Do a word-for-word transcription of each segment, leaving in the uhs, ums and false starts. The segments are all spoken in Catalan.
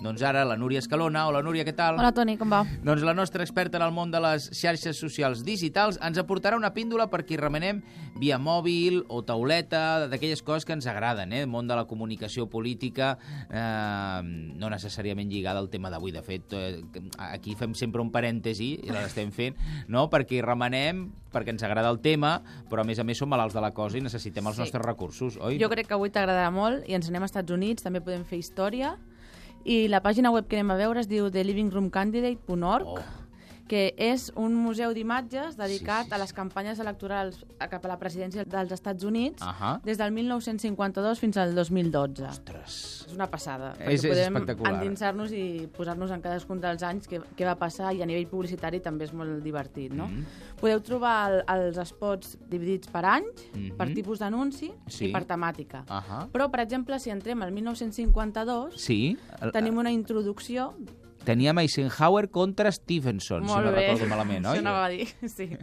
Doncs ara la Núria Escalona. Hola, Núria, què tal? Hola, Toni, com va? Doncs la nostra experta en el món de les xarxes socials digitals ens aportarà una píndola perquè hi remenem via mòbil o tauleta, d'aquelles coses que ens agraden, eh? El món de la comunicació política, eh, no necessàriament lligada al tema d'avui. De fet, eh, aquí fem sempre un parèntesi, i l'estem fent, no? Perquè hi remenem, perquè ens agrada el tema, però a més a més som malalts de la cosa i necessitem els Sí. nostres recursos, oi? Jo crec que avui t'agradarà molt i ens anem als Estats Units, també podem fer història. I la pàgina web que anem a veure es diu the living room candidate punt org, Oh. que és un museu d'imatges dedicat Sí, sí, a les campanyes electorals cap a la presidència dels Estats Units Ahà. des del mil nou-cents cinquanta-dos fins al dos mil dotze. Ostres. És una passada, És- perquè és podem espectacular. endinsar-nos i posar-nos en cadascun dels anys què, què va passar, i a nivell publicitari també és molt divertit, no? Mm. Podeu trobar el, els spots dividits per anys, Mhm. per tipus d'anunci Sí. i per temàtica. Ahà. Però, per exemple, si entrem al mil nou-cents cinquanta-dos, Sí. El- tenim una introducció. Teníem Eisenhower contra Stevenson, si Molt no bé. recordo malament, oi? Això anava a dir, sí.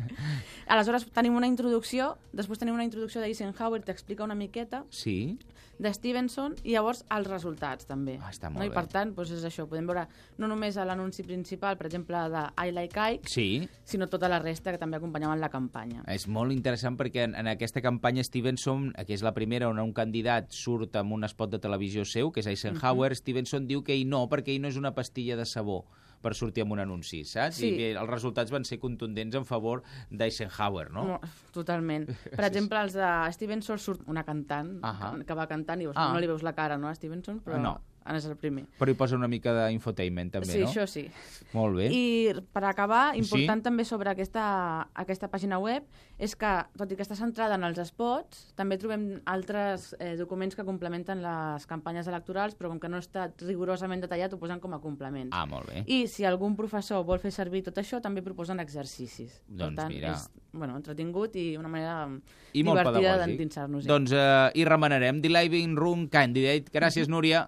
Aleshores tenim una introducció, després tenim una introducció d'Eisenhower, t'explica una miqueta, Sí. de Stevenson, i llavors els resultats també. Ah, està molt no? I bé. per tant, doncs és això, podem veure no només l'anunci principal, per exemple, de I Like Ike, Sí. sinó tota la resta que també acompanyaven la campanya. És molt interessant perquè en, en aquesta campanya Stevenson, que és la primera on un candidat surt amb un spot de televisió seu, que és Eisenhower, uh -huh. Stevenson diu que ell no, perquè ell no és una pastilla de sabó per sortir amb un anunci, saps? Sí. I bé, els resultats van ser contundents en favor d'Eisenhower, no? No, totalment. Per exemple, els de Stevenson surt una cantant Ahà. que va cantant i veus, Ah. no li veus la cara, no, a Stevenson, però No. és el primer. Però hi posa una mica d'infotainment, també, Sí, no? això sí. Molt bé. I per acabar, important Sí? també sobre aquesta, aquesta pàgina web és que, tot i que està centrada en els spots, també trobem altres eh, documents que complementen les campanyes electorals, però com que no està rigorosament detallat, ho posen com a complement. Ah, molt bé. I si algun professor vol fer servir tot això, també proposen exercicis. Doncs per tant, mira. és bueno, entretingut i una manera I molt divertida pedagògic. d'endinsar-nos-hi. Doncs eh, hi remenarem. The Living Room Candidate. Gràcies, Núria.